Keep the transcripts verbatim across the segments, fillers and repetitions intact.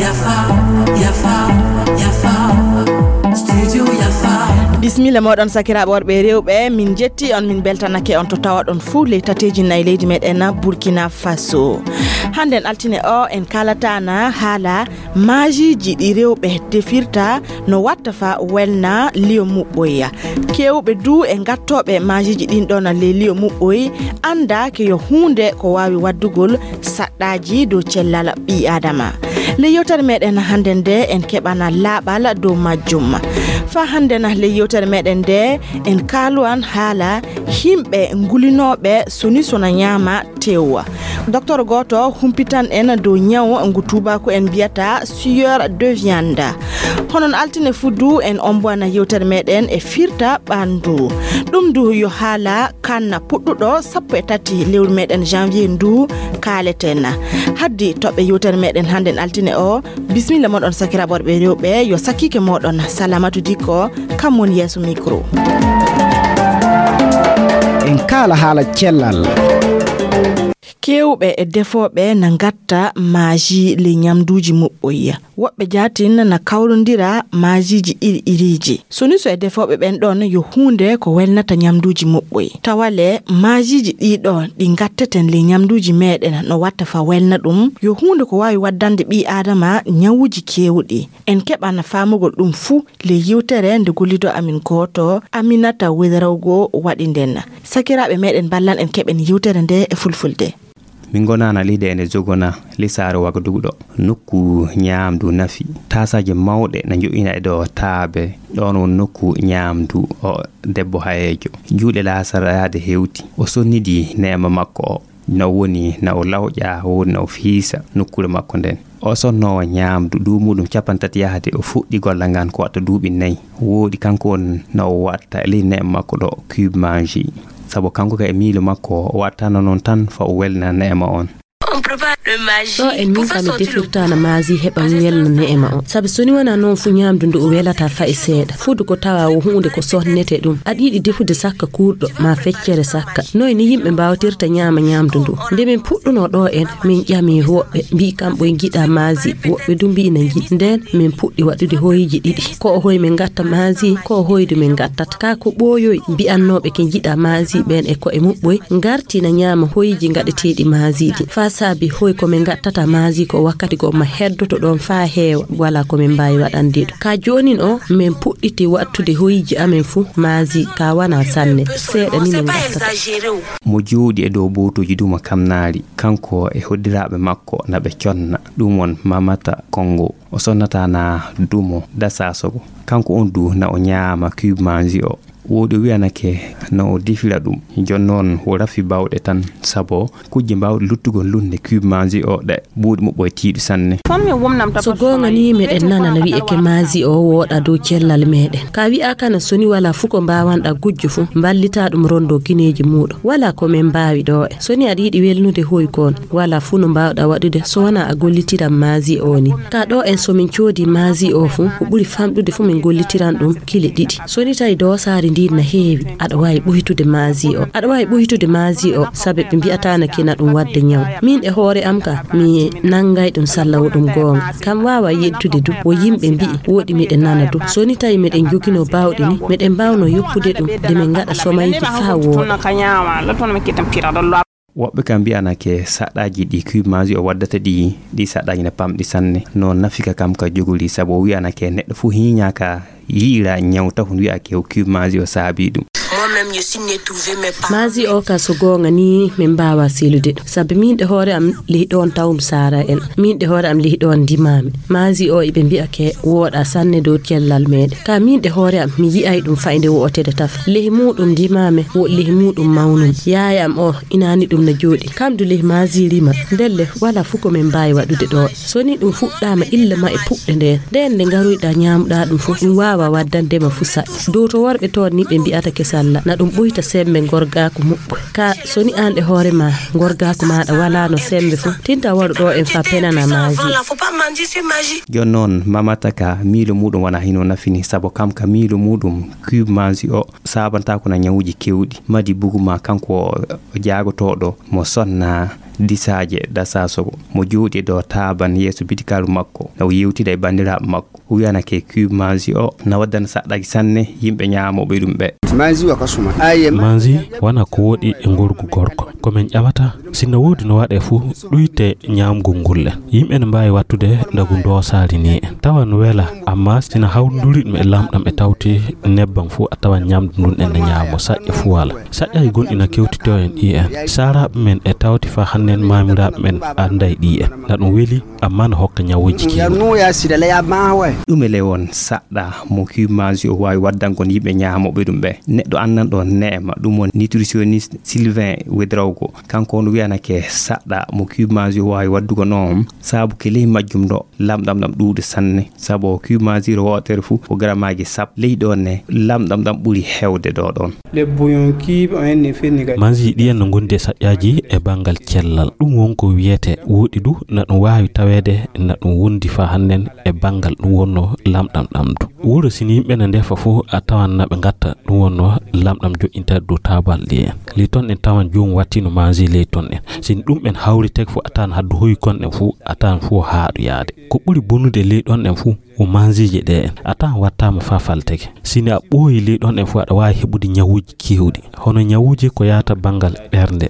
Yafa, yafa, yafa. Studio Yafa. Bismilla moɗon, sakiraaɓe worɓe e rewɓe, min jetti on, min beltanake on to tawaɗon fuu ley tateeji nayi leydi meɗen Burkina Faso. Hannden altine o, en kaalatana haala maajiiji ɗi rewɓe defirta no watta fa welna liyo muɓɓoy. Keewɓe du e gattooɓe maajiiji ɗin ɗon ley liyo muɓɓoy annda ke yo huunde ko waawi waddugol saɗɗaaji dow cellal ɓii Aadama. Ley yewtere meɗen hannde nde, en keɓana laaɓal dow majjum. Fa hannde na ley yewtere meɗen nde, en kaaluwan haala himɓe ngulinooɓe soni sona ñaama tew. Docteur gooto humpitan en dow ñaw ngu tuubaaku en mbiyata sueur de viande. Honon altine fuu du en ombowana yewtere meɗen e firta ɓandu. Ɗum du yo haala kan puɗɗuɗo sappo e tati lewru meɗen janvier ndu kaaleten. Haddi toɓɓe yewtere meɗen hannden altine o, bismilla moɗon sakiraaɓe worɓe e rewɓe, yo sakiike moɗon Salamatu Dikko, kam woni yeeso micro. En kaala haala cellal. Keewɓe e defooɓe na ngatta maaji ley ñamduuji muɓɓoy. Woɓɓe jaatin na kawrondira maajiiji iri iriiji. Soni so e defooɓe ɓen ɗon yo huunde ko welnata ñamduuji muɓɓoy. Tawa le maajiiji ɗii ɗoo ɗi ngatteten ley ñamduuji meɗen no watta fa welna ɗum, yo huunde ko waawi waddande ɓii Aadama ñawuuji keewɗi. En keɓana faamugol ɗum fuu ley yewtere nde gollido amin gooto, Aminata Wedrawgo, waɗi nden. Sakiraaɓe meɗen, mballan en keɓen yewtere nde e fulfulde. Min ngonana leydi ene jogona lisaare Wagadugu ɗo, nokku ñaamdu nafi. Taasaaje mawɗe na njo'ina e ɗo taabe. Ɗoon won nokku ñaamdu o debbo hayeejo. Juuɗe laasara yaade hewti. O sonnidi neema makko o. Na o woni na o lawƴa, woodi na o fiisa nokkuure makko nden. O sonnoowo ñaamdu duumuɗum cappanɗe tati yahde, o fuɗɗi gollal ngal ko watta duuɓi nayi. Woodi kanko on na o watta e ley neema makko ɗo cube maji. Sabu kanko ka e miilo makko, o wattano noon tan fa o welna neema on. Ɗo en min kam mi defirtana maasi heɓa welna neema on. Sabu so ni wona noon fu ñaamdu ndu o welata fa e seeɗa. Fudu ko tawa wo huunde ko sonnete ɗum. Aɗa yiɗi defude sakka kuurɗo, ma feccere sakka. Noy ni yimɓe mbaawatirta ñaama ñaamdu ndu? Nde min puɗɗunoo ɗo en, min ƴami woɓɓe, mbi'i kamɓe en ngiɗa maasi, woɓɓe du mbi'i na ngiɗi. Nden min puɗɗi waɗude hoyiiji ɗiɗi. Ko o hoyi min ngatta maasi, ko o hoydu min ngattata. Kaa ko ɓooyoyi, mbi'annooɓe ke ngiɗa maasi ɓen e ko'e muɓɓoy, ngarti na ñaama hoyiiji ngaɗeteeɗi maasi ɗi. Faa saabi hoy ko min ngattata maasi ko wakkati goo ma heddoto ɗoon faa heewa, walaa ko min mbaawi waɗande ɗum. Kaa joonin o, min puɗɗiti waɗtude hoyiiji amen fuu maasi, kaa wanaa sanne, seeɗa ni min ngattata. Mo jooɗi e dow bootooji duma kamnaari, kanko e hoddiraaɓe makko na ɓe conna, ɗum won Mamata Kongo. O sonnata na dumo da Sasogo. Kanko on du na o ñaama cube maasi o. Woodi o wi'anake na o defira ɗum. Jooni noon wo rafi baawɗe tan, sabo kujje mbaawɗe luttugol lunde cube maasi o ɗe buuɗi muɓɓoy tiiɗi sanne. So goonga ni, meɗen nana na wi'eke maasi o wooɗa dow cellal meɗen. Ka wi'a kana so ni walaa fuu ko mbaawanɗa gujjo fuu, mballitaa ɗum rondo gineeji muuɗum. Walaa ko min mbaawi ɗo e. So ni aɗa yiɗi welnude hoy kon, walaa fuu no mbaawɗa waɗude so wanaa a gollitiran maasi o ni. Ka ɗo en so min coodi maasi o fuu, ko ɓuri famɗude fuu min gollitiran ɗum kile ɗiɗi. So ni tawi doosaari ndin na heewi, aɗa waawi ɓuytude maasi o. Aɗa waawi ɓuytude maasi o, sabe ɓe mbi'ataa na kina ɗum waɗde ñaw. Min e hoore am ka, mi nanngay ɗum salla wo ɗum goonga. Kam waawa yettude du, wo yimɓe mbi'i, woɗi miɗen nana du. So ni tawi meɗen joginoo baawɗe ni, meɗen mbaawnoo yoppude ɗum, de min ngaɗa somayji faa wooɗa. Woɓɓe kam mbi'anake saɗɗaaji ɗi cube maasi o waddata ɗi, ɗi saɗɗaaji na pamɗi sanne. No nafika kam ka jogori, sabu o wi'anake neɗɗo fuu hiiñaaka yi'ira ñaw tahu wi'ake o cube maasi o saabi ɗum. Maasi o ka so goonga ni min mbaawa selude ɗum. Sabu min ɗe hoore am lehi ɗoon tawum saara en. Min ɗe hoore am lehi ɗoon ndimaami. Maasi o iɓe mbi'ake wooɗa sanne dow cellal meɗen. Ka min ɗe hoore am mi yi'ay ɗum fayde wo'otede taf. Lehi muuɗum ndimaame wo lehi muuɗum mawnum. Yaaya am o inaani ɗum na jooɗi. Kam du lehi maasi rima. Ndelle walaa fuu ko min mbaawi waɗude ɗo. So ni ɗum fuɗɗaama illa ma e puɗɗe ndeen. Ndeen nde ngaroyɗa ñaamuɗa ɗum fuu, ɗum waawa waddande ma fuu saɗɗa. Dow to worɓe toon ni ɓe mbi'ata kesal Na ɗum ɓuyta sembe ngorgaaku muɓɓo. Ka so ni aan e hoore ma ngorgaaku maaɗa walaano sembe fu, tinta waɗu ɗo en fa penana maaji. Jooni noon, Mamata ka miilo muuɗum wona hino nafini, sabu kam ka miilo muuɗum cube maaji o saabanta ko na ñawuuji keewɗi. Madi bugu ma kanko o jaagotooɗo mo sonna disaaje dasasogo, mo jooɗi ɗo taaban yeeso bidikaaru makko, na o yewtida e banndiraaɓe makko. O wiyana ke cube maaji o na waddana saɗɗaji sanne yimɓe ñaamooɓe ɗum ɓe. Maaji wona ko woɗi e ngorgu gorko. Ko min ƴamata, sinno woodi no waɗe fu, ɗuyte ñaamgol ngol en. Yimɓe ne mbaawi wattude ndagu ndoosaali ni en. Tawa no wela, amma sina hawrinduri ɗum e lamɗam e tawti nebbam fu, a tawan ñaamdu ndun en ne ñaamo saƴƴa fu wala. Saƴƴaji gonɗi na kewtito en ɗi en. Saaraaɓe men e tawti fa hannen maamiraaɓe men anday ɗi en. Na ɗum weli, amma no hokka ñawuuji keewɗi. Ɗum e ley won saɗɗa mo cube maaji o waawi waddangol yimɓe ñaamooɓe ɗum ɓe. Neɗɗo anndanɗo neema, ɗum won nutritionniste Sylvain Ouédraogo. Kanko on wiyanake saɗɗa mo cube maaji o waawi waddugo noon, sabu ke ley majjum ɗo, lamɗam ɗam ɗuuɗi sanne, sabu o cube maaji wootere fu ko garamaaji sappo. Ley ɗoon ne, lamɗam ɗam ɓuri heewde ɗo ɗoon. Manji ɗi en no ngondi e saƴƴaaji e banngal cellal. Ɗum won ko wiyete woɗi du, na ɗum waawi taweede, na ɗum wondi fa hannen e banngal ɗum wonno lamɗam ɗam du. Wuro sini yimɓe ne ndefa fu, a tawan na ɓe ngatta ɗum wonno lamɗam joɗɗinta dow taabal ɗi en. Ley ton en tawan joomum wattino manji ley ton en. Sini ɗum en hawriteke fu, a tawan haddu hoyi kon en fu, a tawan fu haaɗu yaade. Ko ɓuri bonude ley ɗon en fu, o manjiije ɗe en. A tawan wattaama fa falteke. Sini a ɓooyi ley ɗon en fu, aɗa waawi heɓude ñawuuji keewɗi. Hono ñawuuji ko yaata banngal ɓernde.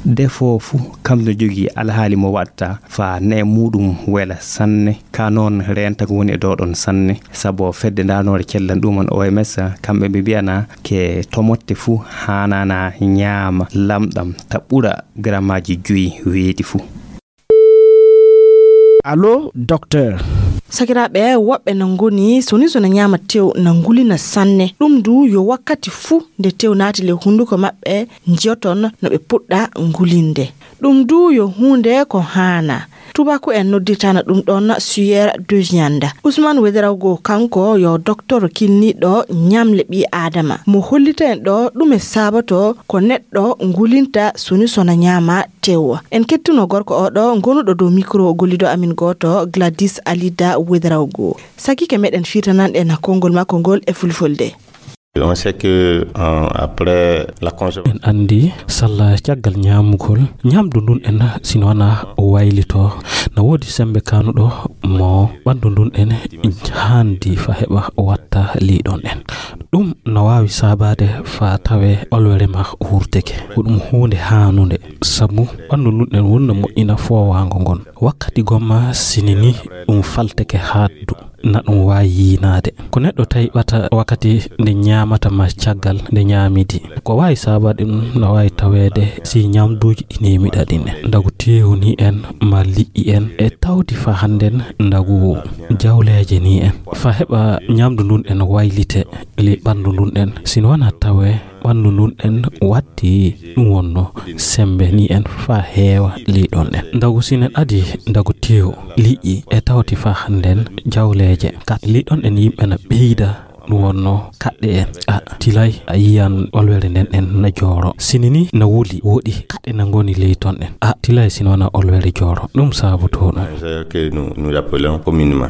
Defo fu, kam no jogii alhaali mo watta fa ne muuɗum wela sanne. Ka noon reenta ko woni e ɗo ɗon sanne. Sabu fedde ndaanoore cellal ɗum on O M S, kamɓe ɓe mbiyana ke tomotte fu haanana ñaama lamɗam ta ɓura garamaaji joyi weeti fu. Allo, docteur. Sakiraaɓe, woɓɓe na ngoni soni sona ñaama tew na ngulina sanne. Ɗum du yo wakkati fuu nde tew naati ley hunnduko maɓɓe njiyoton no ɓe puɗɗa ngulinde. Ɗum du yo huunde ko haana. Tubaaku en noddirtana ɗum ɗon sueur de viande. Ousmane Ouédraogo kanko yo docteur kilniiɗo ñamle ɓii Aadama. Mo hollita en ɗo ɗume saabato ko neɗɗo ngulinta soni sona ñaama tew. En kettuno gorko oɗo ngonuɗo dow micro gollido amin gooto Gladys Alida Ouédraogo. Sakike meɗen firtanan en konngol makko ngol e fulfulde. On sait que, euh, après la consommation. En anndi salla caggal ñaamugol, ñaamdu ndun en sino wona o waylito, na woodi sembe kanuɗo mo ɓanndu ndun en haandi fa heɓa watta liiɗon en. Ɗum no waawi saabaade fa tawe olwere ma wurteke. Ko ɗum huunde haanunde, sabu ɓanndu ndun en wonno moƴƴina foowaango ngon. Wakkati gomma sinini ɗum falteke haaddu. Na ɗum waawi yiinaade. Ko neɗɗo tawi ɓata wakkati nde ñaamata ma caggal nde ñaamidi. Ko waawi saabaade ɗum na waawi taweede si ñaamduuji ɗi neemiɗa ɗin en. Ndagu teewu ni en, ma liƴƴi en, e tawti fa hannden ndagu jawleeje ni en. Fa heɓa ñaamdu ndun en waylite ley ɓanndu ndun en. Si no wona tawe ɓanndu ndun en watti ɗum wonno sembe ni en fa heewa liɗon en. Ndagu sinen adi ndagu tew liƴƴi e tawti fa hannden jawleeje. Kat liɗon en yimɓe na ɓeyda ɗum wonno kaɗɗe en. A tilay a yiyan olwere nden en na jooro. Sini ni na wuli woɗi kaɗɗe na ngoni ley ton en. A tilay sino wona olwere jooro. Ɗum saabotoo ɗum. Que nous, nous appelons communément.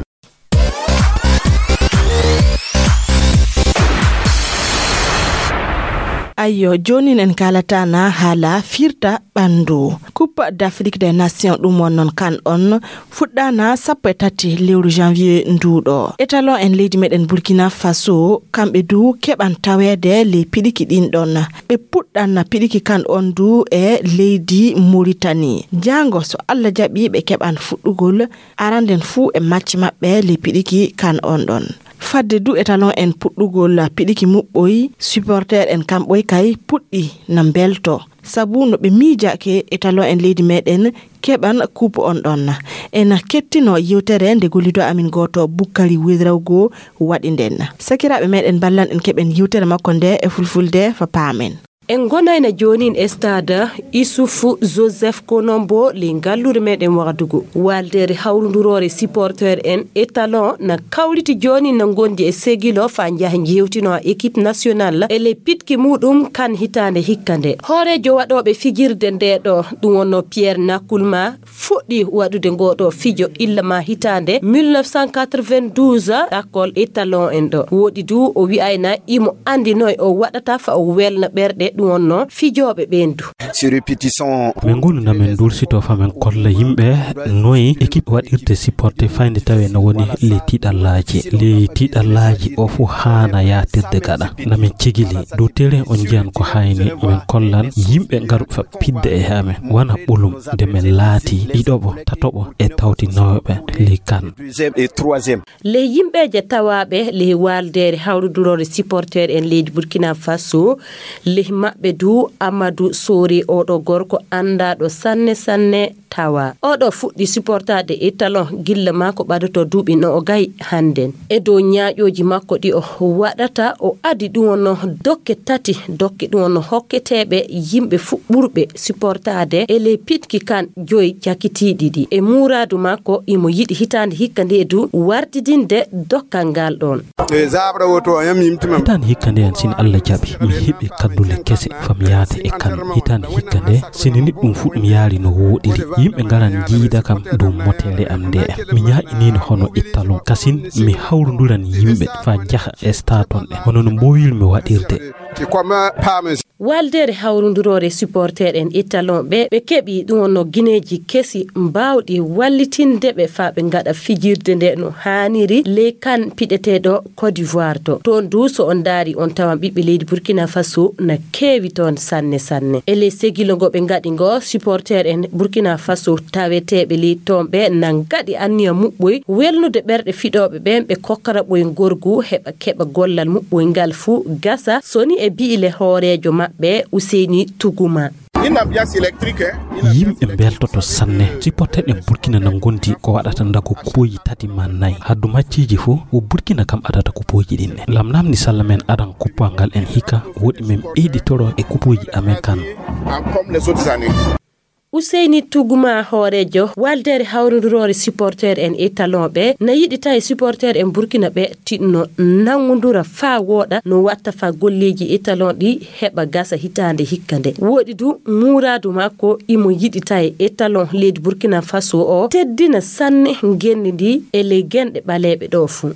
Ayyo, joonin en kaalataana haala firta ɓanndu. Coupe d'Afrique des Nations ɗum won noon kan on fuɗɗaana sappo e tati lewru janvier nduuɗo. Étalon en leydi meɗen Burkina Faso, kamɓe du keɓan taweede ley piɗiki ɗin ɗon. Ɓe puɗɗan piɗiki kan on du e leydi Mauritanie. Jaango so Allah jaɓi ɓe keɓan fuɗɗugol aranden fuu e macce maɓɓe ley piɗiki kan on ɗon. Fadde du étalon en puɗɗugol piɗiki muɓɓoy, supporter en kamɓoy kay puɗɗi na mbelto. Sabu no ɓe miijake étalon en leydi meɗen keɓan coupe on ɗon. En kettino yewtere nde gollido amin gooto Bukkari Wedrawgo waɗi nden. Sakiraaɓe meɗen ballan en keɓen yewtere makko nde e fulfulde fa paamen. En ngonayna joonin e stade Issouf Joseph Konombo ley ngalluure meɗen Wagadugu. Waaldeere hawrunduroore supporter en étalon na kawriti joonin na ngondi e Segilo faa njaha njewtino équipe nationale e ley pitki muɗum kan hitaande hikka nde. Hooreejo waɗooɓe fijirde nde ɗo, ɗum wonno Pierre Nakulma, fuɗɗi waɗude ngoo ɗoo fijo illa ma hitaande mille neuf cent quatre-vingt-douze, ɗakkol étalon en ɗo. Woɗi du o wi'ayna imo anndi noy o waɗata fa o welna ɓerɗe ɗum wonno fijooɓe ɓeen du. Ces répétitions. Min ngoni na min ndursito fa min kolla yimɓe noy équipe waɗirte supporté fayde tawe no woni les tiɗallaaji. Les tiɗallaaji o fu haana yaatirde gaɗa. Na min cigili dow terrain on njiyan ko hayni min kollan yimɓe ngaru fa pidde e amen. Wana ɓolum nde min laati ɗiɗoɓo, tatoɓo e tawti naweɓe ley kan. Deuxième et troisième. Ley yimɓeeje tawaaɓe ley waaldeere hawrudurore supporter en leydi Burkina Faso, ley maɓɓe du Amadou Sori, oɗo gorko anndaaɗo sanne sanne tawa. Oɗo fuɗɗi supportaade étalon gilla maa ko ɓadoto duuɓi no o gayi hannden. E dow ñaaƴooji makko ɗi o waɗata, o adi ɗum wonno dokke tati, dokke ɗum wonno hokketeeɓe yimɓe fuɗɓurɓe supportaade e ley pitki kan joyi cakitiiɗi ɗi. E muuraadu makko, imo yiɗi hitaande hikka nde du wardidinde dokkal ngal ɗoon. E zaɓra woto o yam yimti mam. Hitaande hikka nde en, sin Allah jaɓi, mi heɓi kaddule kese fam yaade e kan. Hitaande hikka nde, sini niɗɗum fu mi yaari no wooɗiri. Yimɓe ngaran jiida kam dow motere am nde. Mi ñaaƴiniino hono ittalon. Kasin mi hawrunduran yimɓe faa jaha e stade on ɗe. Hono no mboowirmi waɗirde. Ti comme paamen. Waaldeere hawrunduroore supporter en étalon ɓe, ɓe keɓi ɗum wonno gineeji kesi mbaawɗi wallitinde ɓe faa ɓe ngaɗa fijirde nde no haaniri ley kan piɗeteeɗo Côte d'Ivoire to. Toon du so on ndaari on tawan ɓiɓɓe leydi Burkina Faso na keewi toon sanne sanne. E ley segilo ngo ɓe ngaɗi ngo, supporter en Burkina Faso taweteeɓe ley toon ɓe na ngaɗi anniya muɓɓoy welnude ɓerɗe fiɗooɓe ɓeen ɓe kokkara ɓoy ngorgu heɓa keɓa gollal muɓɓoy ngal fuu gasa, soni e bi'ile hooreejo maɓɓe Useyni Tuguma. Une ambiance électrique, hein? Yimɓe mbeltoto sanne. Supporter ɗen Burkina na ngondi ko waɗata ndago kupoji tati ma nayi. Haddu macceeji fuu, wo Burkina kam adata kupoji ɗin ɗen. Lamlamni salla men adan kuppal ngal en hikka, woɗi men ɓeyditoro e kupoji amen kan. Ah, comme les autres années. Useyni Tuguma, hooreejo waaldeere hawrunduroore supporter en étalon ɓe, na yiɗi tawi supporter en Burkina ɓe tiɗno nanngundura faa wooɗa no watta faa golleeji étalon ɗi heɓa gasa hitaande hikka nde. Woɗi du muuraadu makko, imo yiɗi tawi étalon leydi Burkina Faso o teddina sanne ngenndi ndi e ley genɗe ɓaleeɓe ɗo fuu.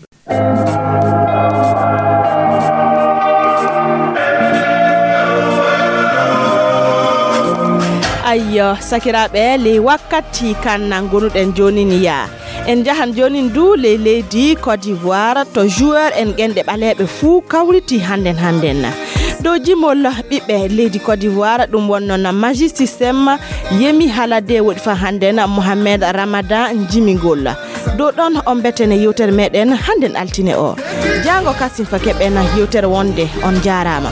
Ayyo, sakiraaɓe, ley wakkati kan nan gonuɗen joonin yaa. En njahan joonin du ley leydi Côte d'Ivoire, to joueur en genɗe ɓaleeɓe fuu kawriti hannden hannden. Dow jimol ɓiɓɓe leydi Côte d'Ivoire, ɗum wonno na Magic System, Yemi Halade woɗi fa hannden Mohamed Ramadan jimingol. Dow ɗon on mbeten e yewtere meɗen hannden altine o. Jaango kasin fa keɓen yewtere wonde. On jaaraama.